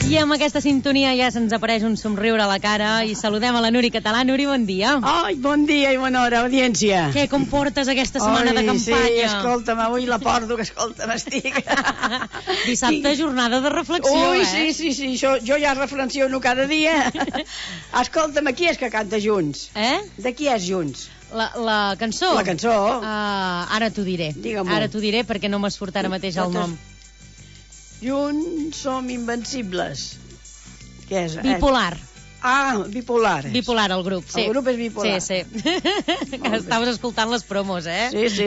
I amb aquesta sintonia ja se'ns apareix un somriure a la cara i saludem a la Nuri Català. Nuri, bon dia. Ai, bon dia i bona hora, audiència. Què, com portes aquesta setmana de campanya? Sí, escolta'm, avui la porto, que escolta'm, estic. Dissabte, jornada de reflexió, sí, jo ja reflexiono cada dia. Escolta'm, qui és que canta Junts? De qui és Junts? La cançó? La cançó. Ara t'ho diré. Digue-m'ho. Ara t'ho diré perquè no m'esfurt ara mateix el nom. Junts som invencibles. Què és? Bipolar. Bipolar. Bipolar, el grup, sí. El grup és bipolar. Sí. Estaves escoltant les promos, Sí.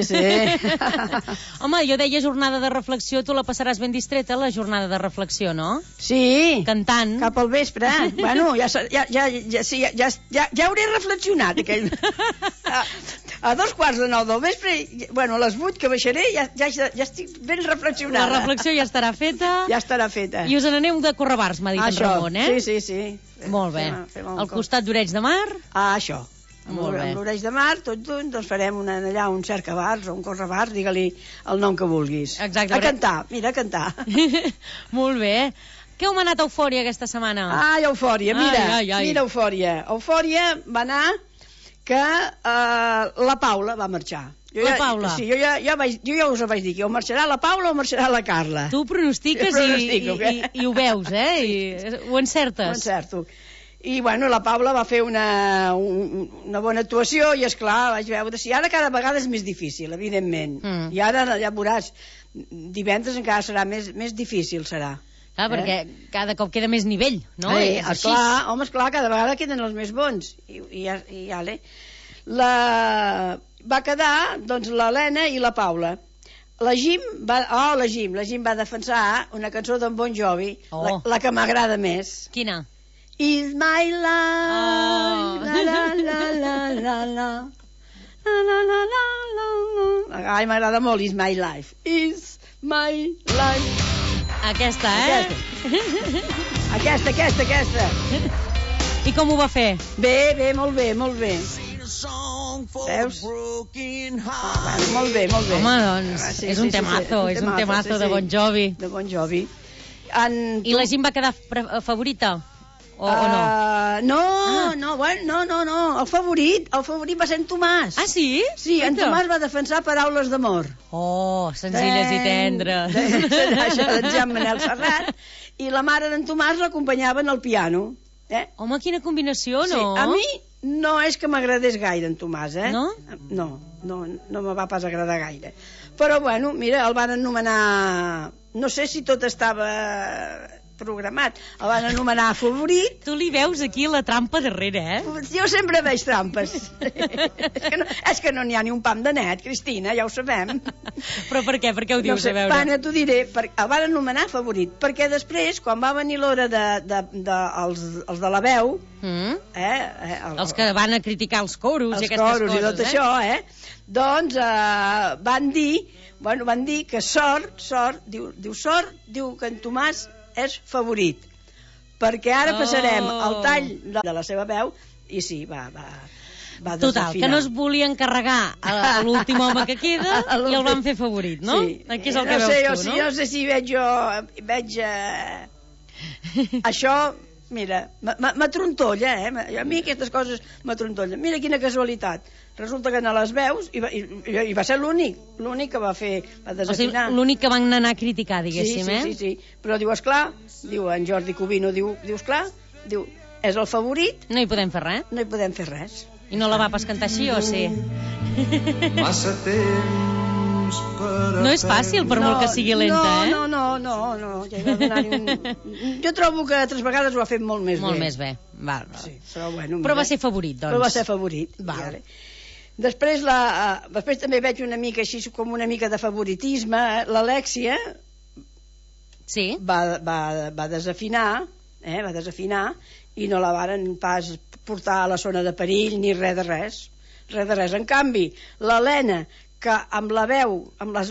Home, jo deia jornada de reflexió, tu la passaràs ben distreta, la jornada de reflexió, no? Sí. Cantant. Cap al vespre. Bueno, ja hauré reflexionat aquell... A 8:45 del vespre, bueno, a les 8 que baixaré, ja estic ben reflexionada. La reflexió ja estarà feta. Ja estarà feta. I us n'aneu de Correbars, m'ha dit en Ramon, Sí. Molt bé. Al costat d'Oreig de Mar? Això. Molt bé. Amb l'Oreig de Mar, tots junts, doncs farem allà un cercabars o un correbars, digue-li el nom que vulguis. Exacte. A cantar, mira, a cantar. Molt bé. Què heu manat a Eufòria aquesta setmana? Eufòria, mira Eufòria. Eufòria va anar que la Paula va marxar. La Paula? Sí, jo ja us ho vaig dir, que o marxarà la Paula o marxarà la Carla. Tu pronostiques i ho veus, I ho encertes. Ho encerto. I, bueno, la Paula va fer una bona actuació i, esclar, vaig veure si ara cada vegada és més difícil, evidentment. I ara ja veuràs, divendres encara serà més difícil, serà. Clar, perquè cada cop queda més nivell, no? Esclar, cada vegada queden els més bons. I va quedar, doncs, l'Helena i la Paula. La Jim va defensar una cançó d'en Bon Jovi, la que m'agrada més. Quina? Is my life, la. Ai, m'agrada molt Is my life. Is my life. Aquesta, Aquesta. I com ho va fer? Bé, molt bé. Veus? Molt bé. Home, doncs, és un temazo de Bon Jovi. De Bon Jovi. I la gent va quedar favorita? O no? No. El favorit va ser en Tomàs. Ah, sí? Sí, en Tomàs va defensar Paraules d'amor. Senzilles i tendres. Això d'en Jean Manel Serrat. I la mare d'en Tomàs l'acompanyava en el piano. Home, quina combinació, no? Sí, a mi no és que m'agradés gaire en Tomàs, No? No me va pas agradar gaire. Però, bueno, mira, el van anomenar... No sé si tot estava programat. El van anomenar favorit. Tu li veus aquí la trampa darrere, Jo sempre veig trampes. És que no n'hi ha ni un pam de net, Cristina, ja ho sabem. Però per què? Per què ho dius, a veure? Bueno, t'ho diré, el van anomenar favorit, perquè després, quan va venir l'hora els de la veu... Els que van a criticar els coros i aquestes coses, i tot això, doncs van dir que Sort diu que en Tomàs és favorit, perquè ara passarem al tall de la seva veu i sí, va desafinar. Total, que no es volia encarregar a l'últim home que queda i el van fer favorit, no? Sí. Aquí és el que veus tu, no? No sé si veig això, mira, m'atrontolla, a mi aquestes coses m'atrontollen. Mira quina casualitat, resulta que a les veus i va ser l'únic que va desafinar. O sigui, l'únic que van anar a criticar, diguéssim, Sí, però diu, esclar, diu en Jordi Cubino, diu, esclar, diu, és el favorit. No hi podem fer res. No hi podem fer res. I no la va pas cantar així, o sí? Massa temps per... No és fàcil, per molt que sigui lenta, No. Jo trobo que altres vegades ho ha fet molt més bé. Molt més bé, val. Sí, però bueno... Però va ser favorit, doncs. Però va ser favorit, vale. Després també veig una mica així, com una mica de favoritisme. L'Alèxia va desafinar, i no la varen pas portar a la zona de perill ni res de res. En canvi, l'Helena, que amb la veu va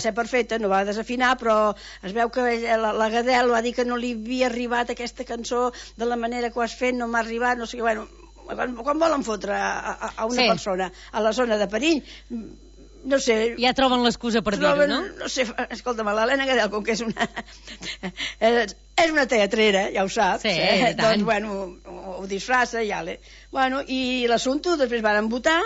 ser perfecta, no va desafinar, però es veu que la Gadel va dir que no li havia arribat aquesta cançó de la manera que ho has fet, no m'ha arribat, no sé què, bueno, quan volen fotre a una persona a la zona de perill, no sé... Ja troben l'excusa per dir-ho, no? No sé, escolta'm, l'Helena Gadel, com que és una... és una teatrera, ja ho saps. Sí, i tant. Doncs, bueno, ho disfressa, ja l'he... Bueno, i l'assumpte, després van votar,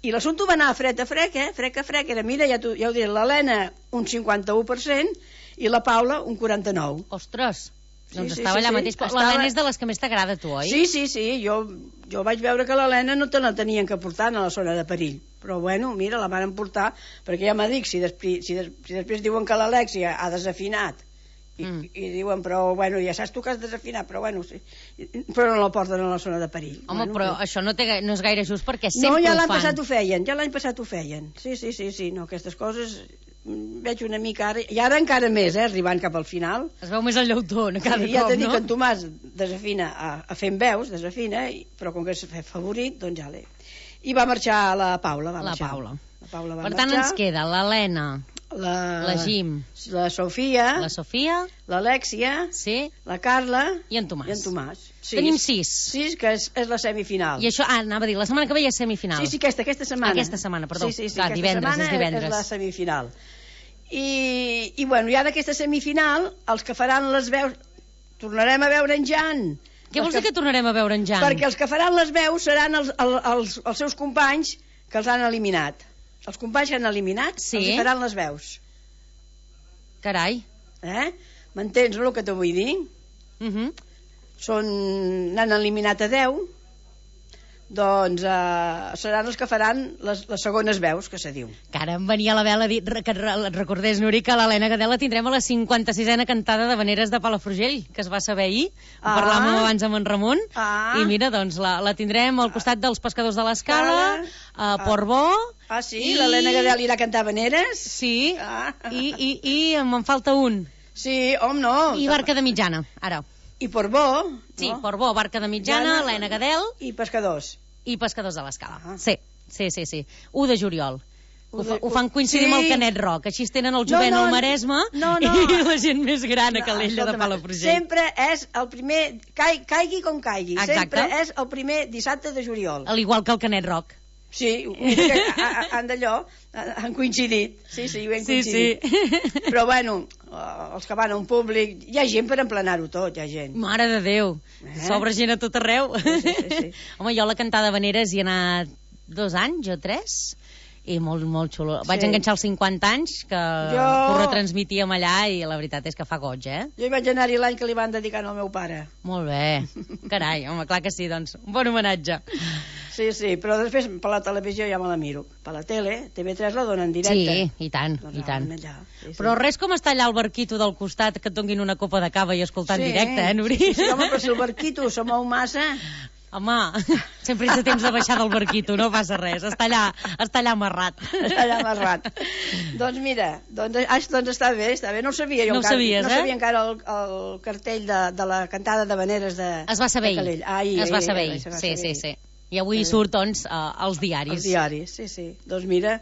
i l'assumpte va anar frec a frec, frec a frec, era, mira, ja ho diré, l'Helena un 51% i la Paula un 49%. Ostres, doncs estava allà mateix. L'Helena és de les que més t'agrada, tu, oi? Sí, jo vaig veure que l'Helena no te la tenien que portar a la zona de perill, però bueno, mira, la van portar, perquè ja m'ha dit, si després diuen que l'Alèxia ha desafinat, i diuen, però bueno, ja saps tu que has desafinat, però bueno, sí, però no la porten a la zona de perill. Home, bueno, però això no és gaire just, perquè sempre ho fan. No, ja l'any passat ho feien, sí, no, aquestes coses veig una mica ara, i ara encara més, arribant cap al final. Es veu més el llautó cada cop, ja t'he dit no? que en Tomàs desafina a fent veus, però com que és favorit, doncs ja l'he. I va marxar la Paula, La Paula. La Paula va per tant, marxar. ens queda l'Helena, la Jim, la Sofia, l'Alèxia, sí, la Carla i en Tomàs. Tenim 6. 6, que és la semifinal. I això, anava a dir, la setmana que ve ja és semifinal. Sí, aquesta setmana. Aquesta setmana, perdó. Sí, clar, divendres, és divendres. És la semifinal. I bueno, ja d'aquesta semifinal, els que faran les veus, tornarem a veure en Jan. Què vols dir que tornarem a veure en Jan? Perquè els que faran les veus seran els seus companys que els han eliminat. Els companys que han eliminat, els hi faran les veus. Carai. M'entens, no, el que t'ho vull dir? N'han eliminat a 10, doncs seran els que faran les segones veus, que se diu. Que ara em venia a la vela a dir que et recordés, Nuri, que l'Helena Gadel la tindrem a la 56a cantada de Veneres de Palafrugell, que es va saber ahir. Ho parlàvem abans amb en Ramon. I mira, doncs la tindrem al costat dels Pescadors de l'Escala, a Portbó. Sí, l'Helena Gadel irà a cantar Veneres. Sí, i me'n falta un. Sí, home, no. I Barca de Mitjana, ara. I Portbó. Sí, Portbó, Barca de Mitjana, Helena Gadel. I Pescadors. I Pescadors de l'Escala. Sí. 1 de juliol. Ho fan coincidir amb el Canet Rock. Així tenen el jovent al Maresme i la gent més gran a Calella de Palafrugell. Sempre és el primer, caigui com caigui. Sempre és el primer dissabte de juliol. Al igual que el Canet Rock. Sí, han coincidit. Sí, ho hem coincidit. Però bueno, els que van a un públic, hi ha gent per emplenar-ho tot, hi ha gent. Mare de Déu, s'obre gent a tot arreu. Sí. Home, jo a la cantada Veneres hi he anat 2 anys o 3, i molt xulo. Vaig enganxar els 50 anys, que ho retransmitíem allà, i la veritat és que fa goig, Jo hi vaig anar-hi l'any que li van dedicar al meu pare. Molt bé. Carai, home, clar que sí, doncs, un bon homenatge. Sí, però després per la televisió ja me la miro. Per la tele, TV3 la dona en directe. Sí, i tant. Però res com estar allà al barquito del costat, que et donguin una copa de cava i escoltar en directe, Nuri? Sí, home, però si el barquito se mou massa... Home, sempre ets a temps de baixar del barquito, no passa res, està allà amarrat. Doncs mira, doncs està bé, no ho sabia jo. No ho sabies, No sabia encara el cartell de la cantada de Veneres de Calella. Es va saber ahir, sí. I avui surt, doncs, als diaris. Els diaris, sí. Doncs mira,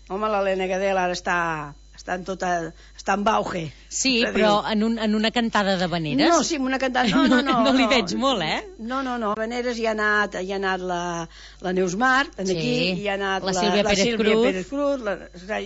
home, l'Helena Gadel ara està en auge. Sí, però en una cantada de Veneres? No, sí, en una cantada... No li veig molt, No, a Veneres hi ha anat la Neus Marc, aquí hi ha anat la Sílvia Pérez Cruz,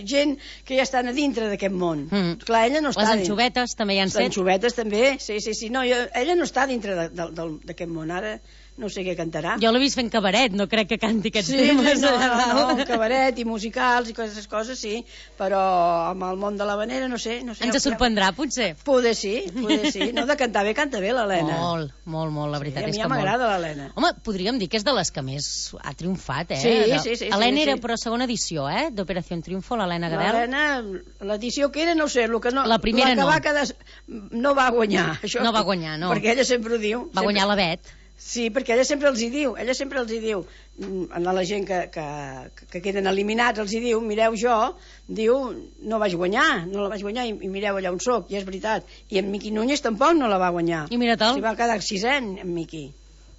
gent que ja estan a dintre d'aquest món. Clar, ella no està... Les anxovetes també hi han set. Les anxovetes també, sí. No, ella no està dintre d'aquest món, ara... No sé què cantarà. Jo l'he vist fent cabaret, no crec que canti aquests temes. No, cabaret i musicals i aquestes coses, sí, però amb el món de la Venera, no sé. Ens sorprendrà, potser? Poder sí. No, de cantar bé, canta bé l'Helena. Molt, la veritat és que molt. A mi ja m'agrada l'Helena. Home, podríem dir que és de les que més ha triomfat, Sí. Helena era, però segona edició, d'Operació Triunfo, l'Helena Gadel. L'Helena, l'edició que era, no sé, la primera no. No va guanyar. No va guanyar, no. Perquè ella sempre ho diu. Va guanyar la Bet. Sí, perquè ella sempre els hi diu, a la gent que queden eliminats els hi diu, mireu no la vaig guanyar i mireu allà on soc, i és veritat. I en Miqui Núñez tampoc no la va guanyar. I mira te'l. S'hi va quedar 6è, en Miqui.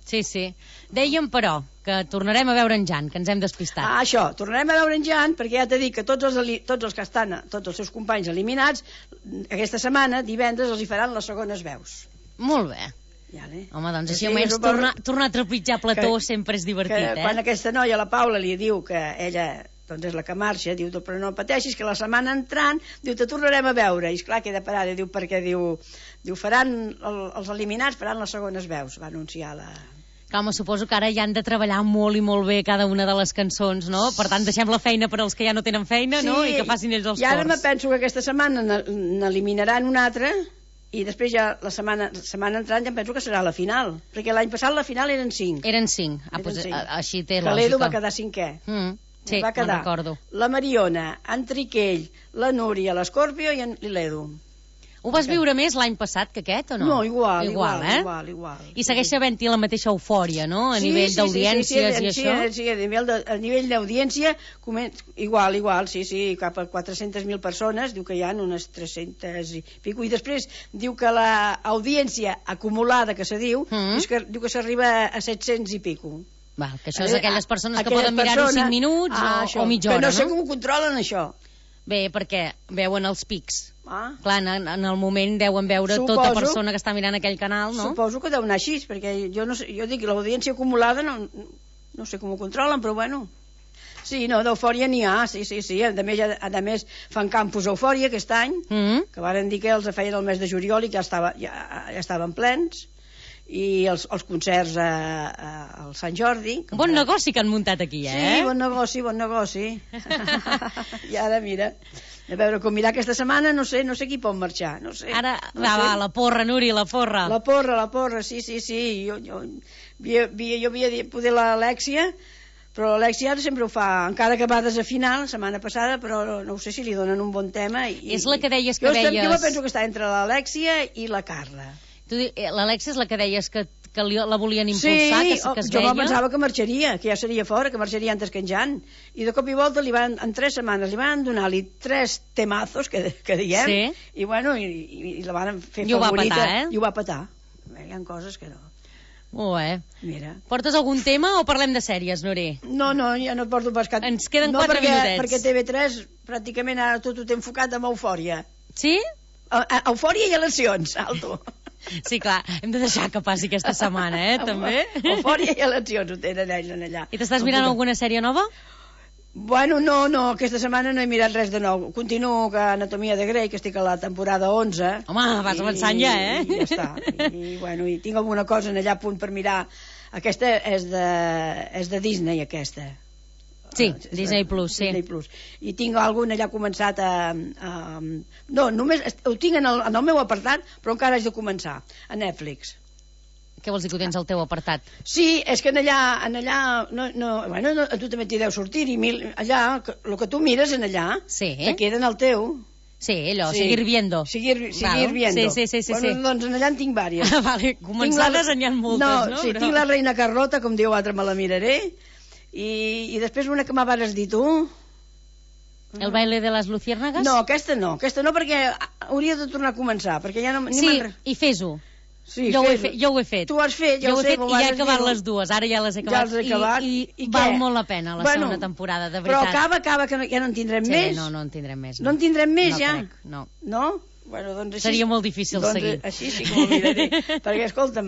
Sí. Dèiem, però, que tornarem a veure en Jan, que ens hem despistat. Això, tornarem a veure en Jan, perquè ja t'he dit que tots els que estan, tots els seus companys eliminats, aquesta setmana, divendres, els hi faran les segones veus. Molt bé. Home, doncs així almenys tornar a trepitjar plató sempre és divertit, Quan aquesta noia, la Paula, li diu que ella doncs és la que marxa, diu, però no pateixis, que la setmana entrant, diu, te tornarem a veure, i esclar, queda parada, diu, perquè, diu, faran, els eliminats faran les segones veus, va anunciar la... Clar, home, suposo que ara ja han de treballar molt i molt bé cada una de les cançons, no? Per tant, deixem la feina per als que ja no tenen feina, sí, no? I que facin ells els cors. I ara me penso que aquesta setmana n'eliminaran una altra, i després ja la setmana entrant ja em penso que serà la final, perquè l'any passat la final eren 5. Eren 5, així té lògica. Que l'Edu va quedar 5è. Sí, me'n recordo. La Mariona, en Triquell, la Núria, l'Escorpio i l'Edu. Ho vas viure més l'any passat que aquest, o no? No, igual. I segueix havent-hi la mateixa eufòria, no? A nivell d'audiències i això? Sí, a nivell d'audiència, igual, sí, cap a 400.000 persones, diu que hi ha unes 300 i pico, i després diu que l'audiència acumulada, que se diu, diu que s'arriba a 700 i pico. Va, que això és aquelles persones que poden mirar-ho 5 minuts o mitja hora, no? Que no sé com ho controlen, això. Bé, perquè veuen els pics. Clar, en el moment deuen veure tota persona que està mirant aquell canal, no? Suposo que deu anar així, perquè jo no sé, jo dic, l'audiència acumulada no sé com ho controlen, però bueno. Sí, no, d'eufòria n'hi ha, sí. A més, fan campus Eufòria aquest any, que varen dir que els feien el mes de juliol i que ja estaven plens, i els concerts al Sant Jordi. Bon negoci que han muntat aquí, eh? Sí, bon negoci. I ara, mira, a veure, com mirar aquesta setmana, no sé qui pot marxar, no sé. Ara, va, la porra, Núria, la porra. La porra, sí. Jo havia dit poder l'Alèxia, però l'Alèxia sempre ho fa, encara que va desafinar la setmana passada, però no ho sé si li donen un bon tema. És la que deies que veies... Jo penso que està entre l'Alèxia i la Carla. L'Alèxia és la que deies que la volien impulsar, que es jo veia? pensava que marxaria, que ja seria fora, que marxaria antes que en Jan. I de cop i volta, en 3 setmanes, li van donar-li 3 temazos, que diem, i bueno, i la van fer favorita. I ho va petar, Hi ha coses que no. Molt bé. Mira. Portes algun tema o parlem de sèries, Nuri? No, ja no porto pas cap... Ens queden 4 minutets. Perquè TV3 pràcticament ara tot ho té enfocat amb Eufòria. Sí? Eufòria i eleccions, alto. Sí, clar, hem de deixar que passi aquesta setmana, també. Eufòria i eleccions ho tenen ells allà. I t'estàs mirant alguna sèrie nova? Bueno, no, aquesta setmana no he mirat res de nou. Continuo que Anatomia de Grey, que estic a la temporada 11. Home, vas avançant ja, I ja està. I tinc alguna cosa allà a punt per mirar. Aquesta és de Disney, aquesta. Sí, Disney Plus, sí. Disney Plus. I tinc algun allà començat no, només ho tinc en el meu apartat, però encara haig de començar, a Netflix. Què vols dir que ho tens al teu apartat? Sí, és que allà bueno, a tu també t'hi deu sortir, i allà, el que tu mires allà, te queda en el teu. Sí, allò, seguir viendo. Seguir viendo. Sí. Bueno, doncs allà en tinc vàries. Vale, començades n'hi ha moltes, no? Sí, tinc la Reina Carlota, com diu l'altre, me la miraré. I després una que m'haves dit tu. El baile de les luciérnagas? No, aquesta no, perquè hauria de tornar a començar, perquè ja no... Sí, i fes-ho. Sí, jo ho he fet. Tu ho has fet, ja ho sé. I ja he acabat les dues, ara ja les he acabat. Ja les he acabat. I val molt la pena la segona temporada, de veritat. Però acaba, que ja no en tindrem més. Sí, no en tindrem més. No en tindrem més, ja? No. No? Bueno, doncs així... Seria molt difícil seguir. Així sí que ho miraré. Perquè, escolta,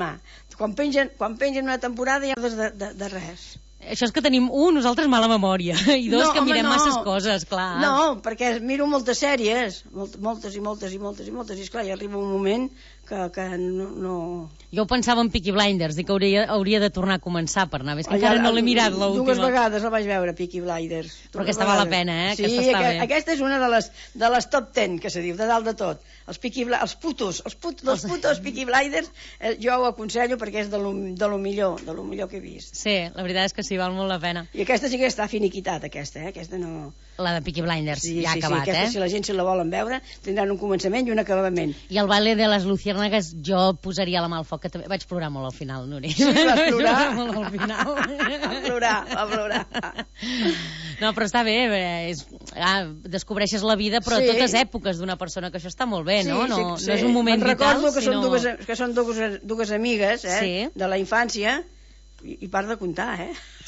quan pengen una temporada ja de res. Això és que tenim, nosaltres mala memòria, i dos, que mirem masses coses, clar. No, perquè miro moltes sèries, moltes, i esclar, ja arriba un moment que no... Jo pensava en Peaky Blinders, dic que hauria de tornar a començar per anar, és que encara no l'he mirat l'última. 2 vegades la vaig veure, Peaky Blinders. Però aquesta val la pena, Sí, aquesta és una de les top 10, que se diu, de dalt de tot. Els putos Peaky Blinders, jo ho aconsello perquè és de lo millor que he vist. Sí, la veritat és que sí, val molt la pena. I aquesta sí que està finiquitat, aquesta no... La de Peaky Blinders, ja ha acabat, aquesta, si la gent se la volen veure, tindran un començament i un acabament. I el baile de les luciérnagas jo posaria la mà al foc, que també vaig plorar molt al final, Núria. Sí, vas plorar? Molt al final. Va plorar. No, però està bé, descobreixes la vida, però a totes èpoques d'una persona, que això està molt bé, no? No és un moment vital, sinó... Recordo que són dues amigues, de la infància, i part de comptar,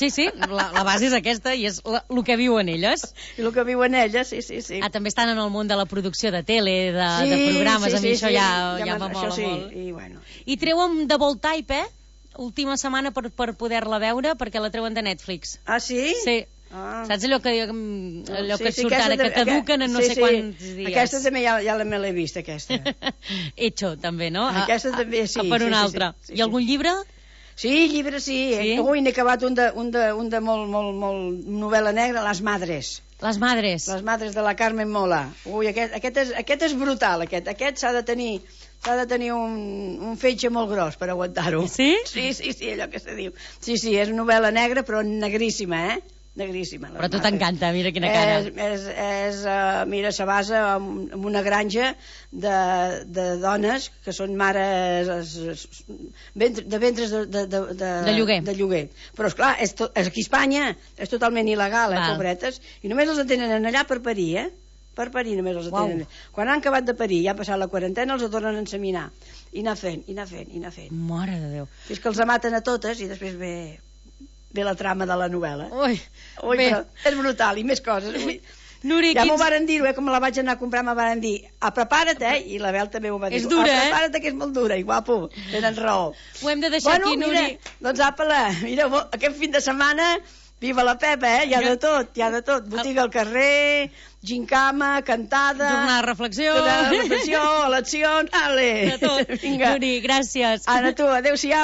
Sí, la base és aquesta i és el que viuen elles. I el que viuen elles, sí. També estan en el món de la producció de tele, de programes, a mi això ja m'amola molt. I treuen The Bold Type, última setmana per poder-la veure, perquè la treuen de Netflix. Ah, sí? Sí. Saps allò que surt ara, que caduquen en no sé quants dies? Aquesta també ja me l'he vist, aquesta. Hecho, també, no? Aquesta també, sí. Per una altra. I algun llibre? Sí, llibre sí. Ui, n'he acabat un de molt novel·la negra, Les Madres. Les Madres. Les Madres de la Carmen Mola. Ui, aquest és brutal, aquest. Aquest s'ha de tenir un fetge molt gros per aguantar-ho. Sí? Sí, allò que se diu. Sí, és novel·la negra, però negríssima, negríssima. Però a tu t'encanta, mira quina cara. Mira, se basa en una granja de dones que són mares de ventres de lloguer. Però, esclar, aquí a Espanya és totalment il·legal, pobretes, i només els tenen allà per parir, per parir només els tenen. Quan han acabat de parir, ja ha passat la quarantena, els tornen a enseminar. I anar fent. Mare de Déu. Fins que els maten a totes i després ve la trama de la novel·la. Ui, però és brutal, i més coses. Nuri, ja m'ho varen dir, com la vaig anar a comprar, m'ho varen dir, prepara't, i la Bel també ho va dir. És dura, prepara't, que és molt dura, i guapo, tenen raó. Ho hem de deixar aquí, Nuri. Doncs mira, aquest fin de setmana, viva la Pepa, hi ha de tot. Botiga al carrer, gincama, cantada... Jornada de reflexió... Eleccions, ale! De tot. Nuri, gràcies. Ara tu, adéu-siau.